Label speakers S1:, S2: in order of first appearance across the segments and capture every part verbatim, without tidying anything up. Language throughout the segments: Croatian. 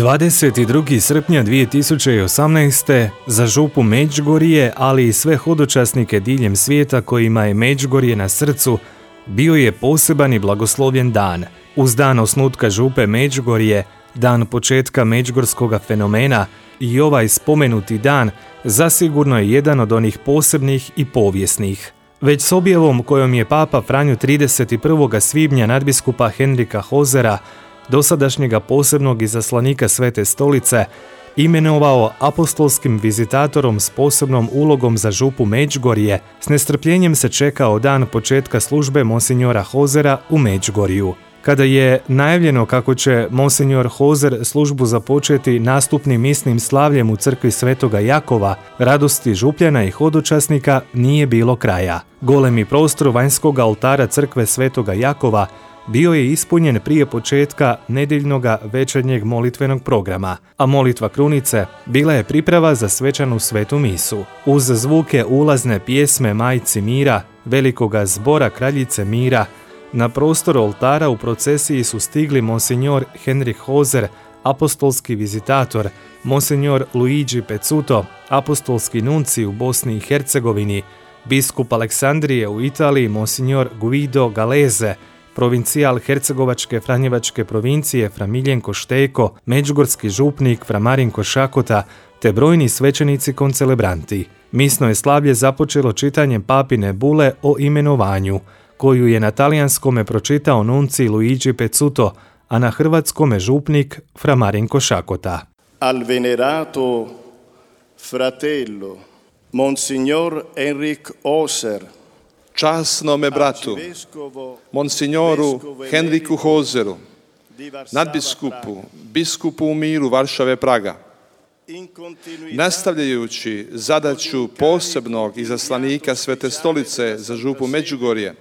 S1: dvadeset drugi srpnja dvije tisuće osamnaeste. za župu Međugorje, ali i sve hodočasnike diljem svijeta kojima je Međugorje na srcu, bio je poseban i blagoslovljen dan. Uz dan osnutka župe Međugorje, dan početka međugorskog fenomena, i ovaj spomenuti dan zasigurno je jedan od onih posebnih i povijesnih. Već s objavom kojom je Papa Franjo trideset prvog svibnja nadbiskupa Henrika Hozera, dosadašnjega posebnog izaslanika Svete stolice, imenovao apostolskim vizitatorom s posebnom ulogom za župu Međugorje, s nestrpljenjem se čekao dan početka službe monsinjora Hozera u Međugorju. Kada je najavljeno kako će monsinjor Hozer službu započeti nastupnim misnim slavljem u crkvi Svetoga Jakova, radosti župljana i hodočasnika nije bilo kraja. Golemi prostor vanjskog oltara crkve Svetoga Jakova bio je ispunjen prije početka nedjeljnog večernjeg molitvenog programa, a molitva krunice bila je priprava za svečanu svetu misu. Uz zvuke ulazne pjesme Majci mira, velikoga zbora Kraljice mira, na prostor oltara u procesiji su stigli monsinjor Henrik Hozer, apostolski vizitator, monsinjor Luigi Pezzuto, apostolski nunci u Bosni i Hercegovini, biskup Aleksandrije u Italiji monsinjor Guido Galeze, provincijal Hercegovačke Franjevačke provincije Fra Miljenko Šteko, međugorski župnik Fra Marinko Šakota, te brojni svećenici koncelebranti. Misno je slavlje započelo čitanjem papine bule o imenovanju, koju je na talijanskome pročitao nunci Luigi Pezzuto, a na hrvatskome župnik Fra Marinko Šakota.
S2: Al venerato fratello Monsignor Henrik Hozer,
S3: časnome bratu, monsignoru Henriku Hozeru, nadbiskupu, biskupu u miru Varšave Praga, nastavljajući zadaću posebnog izaslanika Svete stolice za župu Međugorje,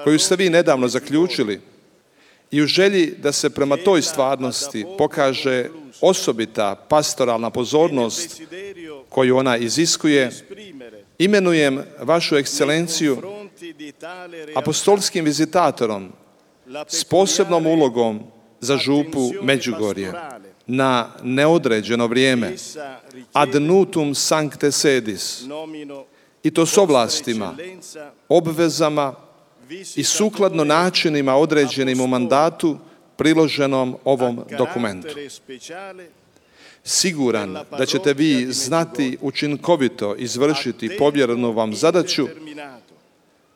S3: koju ste vi nedavno zaključili, i u želji da se prema toj stvarnosti pokaže osobita pastoralna pozornost koju ona iziskuje, imenujem vašu ekscelenciju apostolskim vizitatorom s posebnom ulogom za župu Međugorje na neodređeno vrijeme, ad nutum sancte sedis, i to s ovlastima, obvezama i sukladno načinima određenim u mandatu priloženom ovom dokumentu. Siguran da ćete vi znati učinkovito izvršiti povjerenu vam zadaću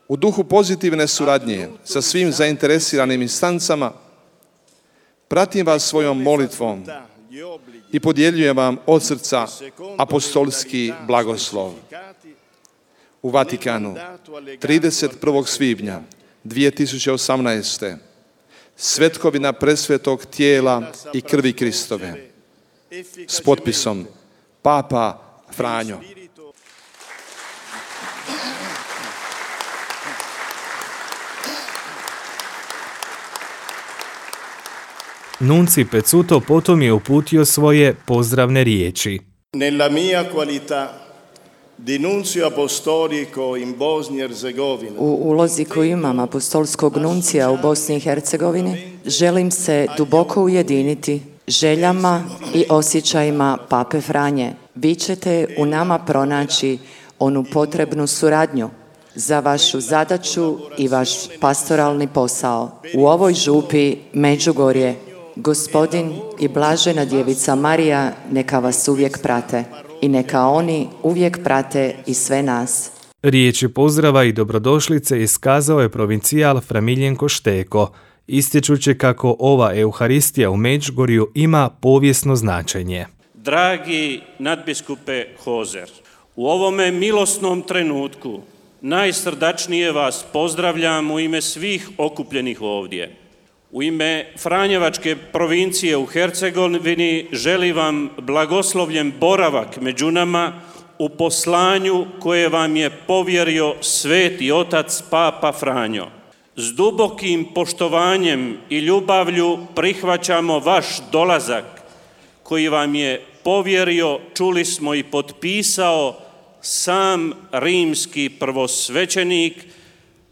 S3: u duhu pozitivne suradnje sa svim zainteresiranim instancama, pratim vas svojom molitvom i podjeljujem vam od srca apostolski blagoslov. U Vatikanu, trideset prvog svibnja dvije tisuće osamnaeste. Svetkovina presvetog tijela i krvi Kristove. S potpisom Papa Franjo.
S1: Nunci Pezzuto potom je uputio svoje pozdravne riječi.
S2: Nella mia qualità di nuncio apostolico in Bosnia e Herzegovina.
S4: U ulozi koju imam apostolskog nuncija u Bosni i Hercegovini, želim se duboko ujediniti željama i osjećajima Pape Franje. Vi ćete u nama pronaći onu potrebnu suradnju za vašu zadaću i vaš pastoralni posao. U ovoj župi Međugorje, Gospodin i Blažena Djevica Marija neka vas uvijek prate i neka oni uvijek prate i sve nas.
S1: Riječi pozdrava i dobrodošlice iskazao je provincijal Fra Miljenko Šteko, ističući kako ova Euharistija u Međugorju ima povijesno značenje.
S5: Dragi nadbiskupe Hozer, u ovome milosnom trenutku najsrdačnije vas pozdravljam u ime svih okupljenih ovdje. U ime Franjevačke provincije u Hercegovini želim vam blagoslovljen boravak među nama u poslanju koje vam je povjerio Sveti Otac Papa Franjo. S dubokim poštovanjem i ljubavlju prihvaćamo vaš dolazak koji vam je povjerio, čuli smo, i potpisao sam rimski prvosvećenik,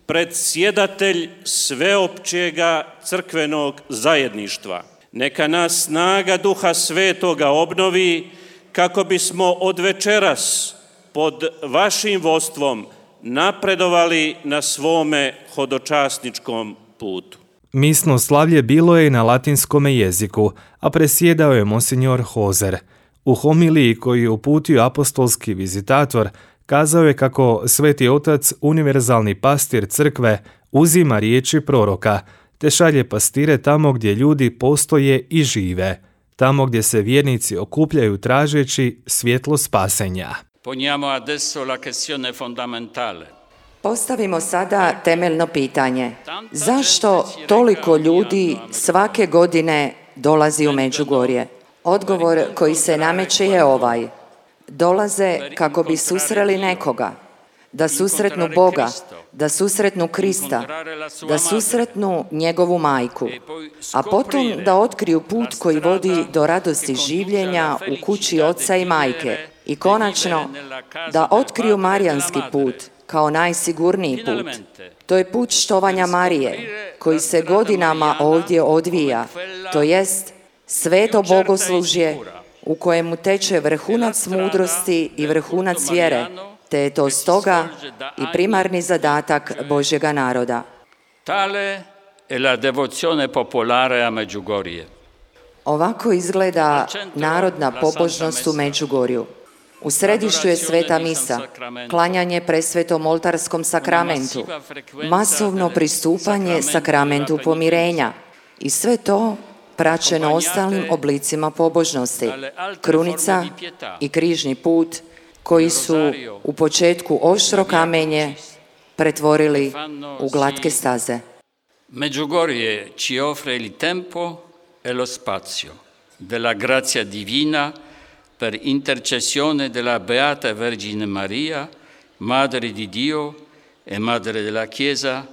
S5: predsjedatelj sveopćega crkvenog zajedništva. Neka nas snaga Duha Svetoga obnovi kako bismo od večeras pod vašim vodstvom napredovali na svome hodočasničkom putu.
S1: Misno slavlje bilo je na latinskome jeziku, a presjedao je monsinjor Hozer. U homiliji koju je uputio apostolski vizitator, kazao je kako Sveti Otac, univerzalni pastir crkve, uzima riječi proroka, te šalje pastire tamo gdje ljudi postoje i žive, tamo gdje se vjernici okupljaju tražeći svjetlo spasenja.
S6: Poniamo adesso la questione fondamentale.
S4: Postavimo sada temeljno pitanje. Zašto toliko ljudi svake godine dolazi u Međugorje? Odgovor koji se nameće je ovaj. Dolaze kako bi susreli nekoga, da susretnu Boga, da susretnu Krista, da susretnu njegovu majku, a potom da otkriju put koji vodi do radosti življenja u kući oca i majke i konačno da otkriju marijanski put kao najsigurniji put. To je put štovanja Marije koji se godinama ovdje odvija, to jest sveto bogoslužje u kojemu teče vrhunac mudrosti i vrhunac vjere, te je to stoga i primarni zadatak Božjega naroda.
S6: Tale è la devozione popolare a Medjugorje.
S4: Ovako izgleda narodna pobožnost u Međugorju. U središtu je sveta misa, klanjanje presvetom oltarskom sakramentu, masovno pristupanje sakramentu pomirenja i sve to praćeno ostalim oblicima pobožnosti, krunica i križni put koji su u početku oštro kamenje pretvorili u glatke staze.
S6: Medjugorje ci offre il tempo e lo spazio della grazia divina per intercessione della Beata Vergine Maria, Madre di Dio e Madre della Chiesa,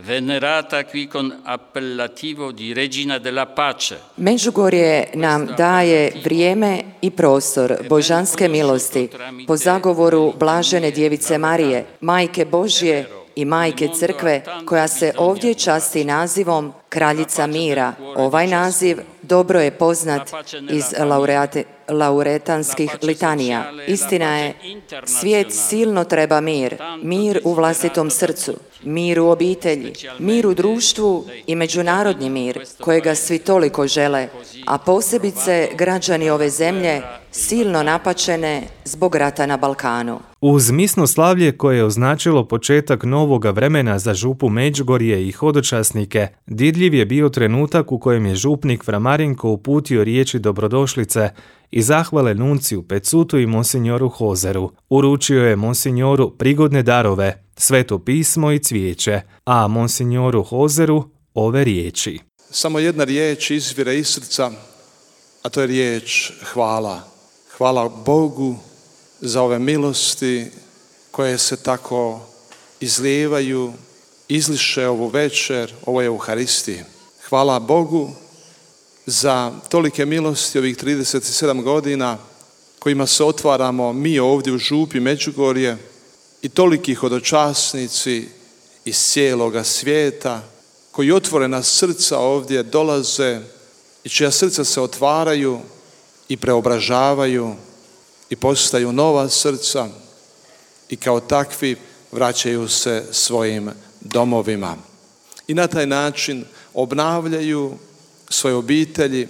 S6: venerata qui con appellativo di Regina della Pace.
S4: Međugorje nam daje vrijeme i prostor božanske milosti po zagovoru Blažene Djevice Marije, Majke Božje i Majke Crkve, koja se ovdje časti nazivom Kraljica mira. Ovaj naziv dobro je poznat iz laureate, lauretanskih litanija. Istina je, svijet silno treba mir, mir u vlastitom srcu, mir u obitelji, mir u društvu i međunarodni mir, kojega svi toliko žele, a posebice građani ove zemlje silno napačene zbog rata na Balkanu.
S1: Uz misno slavlje koje je označilo početak novoga vremena za župu Međugorje i hodočasnike, didljiv je bio trenutak u kojem je župnik Fra Marinko uputio riječi dobrodošlice i zahvale nunciju Pecutu i monsinjoru Hozeru. Uručio je monsinjoru prigodne darove, sveto pismo i cvijeće, a monsinjoru Hozeru ove riječi.
S3: Samo jedna riječ izvire iz srca, a to je riječ hvala. Hvala Bogu za ove milosti koje se tako izlijevaju, izliše ovu večer, ovoj Euharistiji. Hvala Bogu za tolike milosti ovih trideset sedam godina kojima se otvaramo mi ovdje u župi Međugorje i toliki hodočasnici iz cijeloga svijeta koji otvorena srca ovdje dolaze i čija srca se otvaraju i preobražavaju i postaju nova srca i kao takvi vraćaju se svojim domovima. I na taj način obnavljaju svoje obitelji,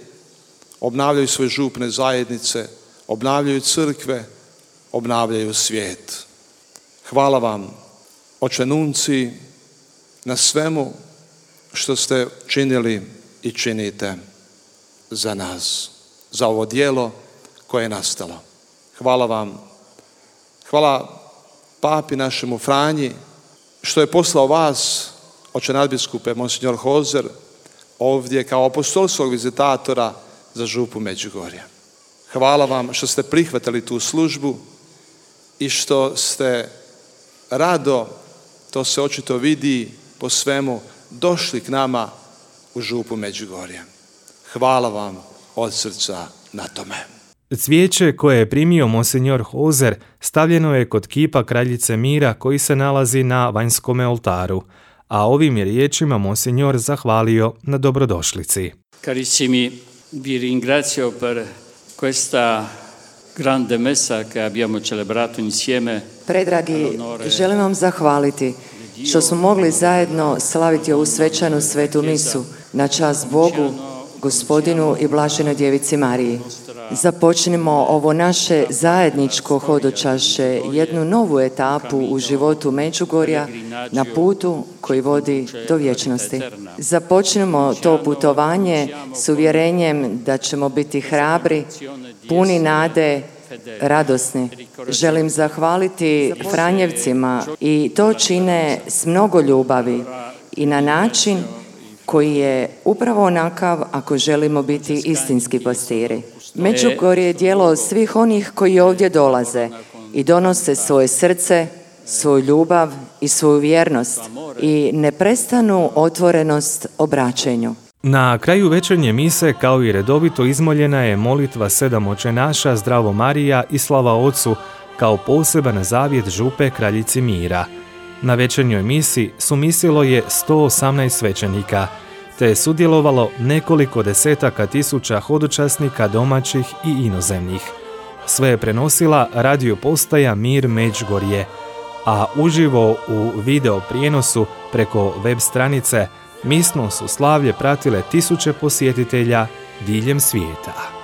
S3: obnavljaju svoje župne zajednice, obnavljaju crkve, obnavljaju svijet. Hvala vam, Oče Nunciji, na svemu što ste činili i činite za nas, za ovo djelo koje je nastalo. Hvala vam. Hvala papi našemu Franji što je poslao vas, Oče nadbiskupe, monsinjor Hozer, ovdje kao apostolskog vizitatora za župu Međugorja. Hvala vam što ste prihvatili tu službu i što ste rado, to se očito vidi po svemu, došli k nama u župu Međugorja. Hvala vam od srca na tome.
S1: Cvijeće koje je primio monsinjor Hozer stavljeno je kod kipa Kraljice mira koji se nalazi na vanjskome oltaru, a ovim je riječima monsinjor zahvalio na dobrodošlici.
S6: Carissimi Vi ringrazio per questa grande messa che abbiamo celebrato insieme.
S4: Predragi, želim vam zahvaliti što smo mogli zajedno slaviti ovu svečanu svetu misu na čast Bogu, Gospodinu i Blaženoj Djevici Mariji. Započnimo ovo naše zajedničko hodočašće, jednu novu etapu u životu Međugorja na putu koji vodi do vječnosti. Započnimo to putovanje s uvjerenjem da ćemo biti hrabri, puni nade, radosni. Želim zahvaliti Franjevcima i to čine s mnogo ljubavi i na način koji je upravo onakav ako želimo biti istinski pastiri. Međugorje je djelo svih onih koji ovdje dolaze i donose svoje srce, svoju ljubav i svoju vjernost i neprestanu otvorenost obraćenju.
S1: Na kraju večernje mise, kao i redovito, izmoljena je molitva sedam očenaša, Zdravo Marija i Slava Ocu, kao poseban zavjet župe Kraljici mira. Na večernjoj misi sumisilo je sto osamnaest svećenika, te je sudjelovalo nekoliko desetaka tisuća hodočasnika domaćih i inozemnih. Sve je prenosila radio postaja Mir Međugorje, a uživo u video prijenosu preko web stranice misno su slavlje pratile tisuće posjetitelja diljem svijeta.